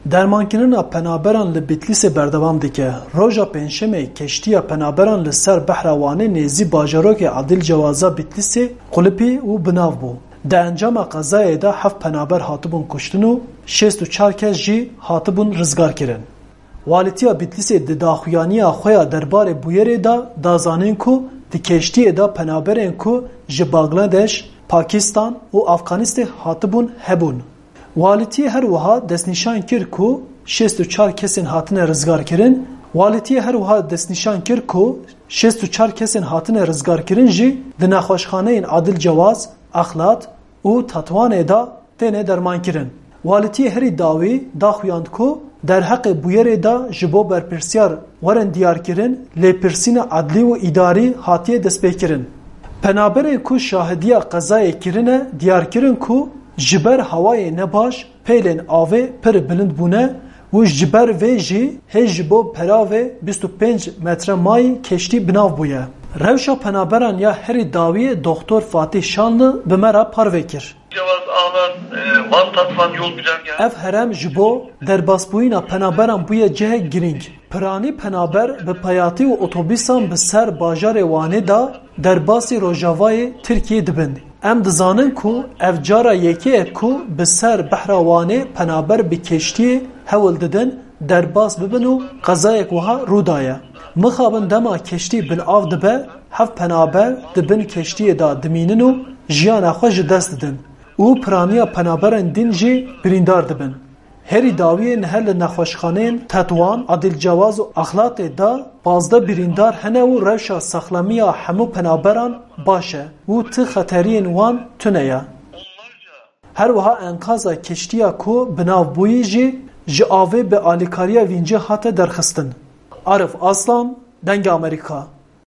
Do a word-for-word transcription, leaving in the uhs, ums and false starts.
Dermankirina penaberan li Bitlîsê berdewam dike. Roja Pêncşemê keştiya penaberan li ser behra Wanê nêzî bajarokê Adil Cewaza Bitlîsê qulipî û bi nav bû. Di encama qezayê de heft penaber hatibûn kuştin û şêst û çar kes jî hatibûn rizgarkirin. Walîtiya Bitlîsê di daxuyaniya xwe ya derbarê bûyerê de da zanîn ku di keştiyê de penaberên ku ji Bangladeş, Pakistan û Afganistê hatibûn hebûn. Walîtiyê her wiha destnîşan kir ku şêst û çar kesên hatine rizgarkirin, Walîtiyê her wiha destnîşan kir ku şêst û çar kesên hatine rizgarkirin jî di nexweşxaneyên Adil Cewaz, Exlat û Tetwanê de têne dermankirin. Walîtiyê herî dawî daxuyand ku derheqê bûyerê de ji bo berpirsiyar werin diyarkirin, lêpirsîna edlî û îdarî hatiye destpêkirin. Penaberên ku şahidiya qezayê kirine diyar kirin ku ji ber hewayê nebaş pêlên avê pir bilind bûne û ji ber vê jî hê ji bo peravê bîst û pênc metre mayî keştî bi nav bûye. Rewşa penaberan ya herî dawiyê Doxtor Fatîh Şanlı bi me re parve kir. Cevaz Ağlar, e, Van Tatvan yol güzergahı. Ev herem ji bo derbasbûyîna penaberan bûye cihek girîng. Piranî penaber bi peyatî û otobîsan bi ser bajarê Wanê de derbasî rojavayê Tirkiyê dibin. Em dizanin ku ev cara yekê ye ku bi ser behra Wanê penaber bi keştiyê hewl didin derbas bibin û qezayek wiha rû daye. Mixabin dema keştî bin av dibe, heft penaber di bin keştiyê de dimînin û jiyana xwe ji dest didin û piraniya penaberên din jî birîndar dibin. Herî dawiyê niha li nexweşxaneyên Tetwan, Adil Cewaz û Axlatê de pazdeh birîndar hene û rewşa saxlemiya hemû penaberan baş e û ti xeteriyên wan tune ye. Her wiha enqaza keştiya ku bi nav bûyî jî ji avê bi alîkariya vîncê hate derxistin. Arif Aslan, Dengê Amerîka.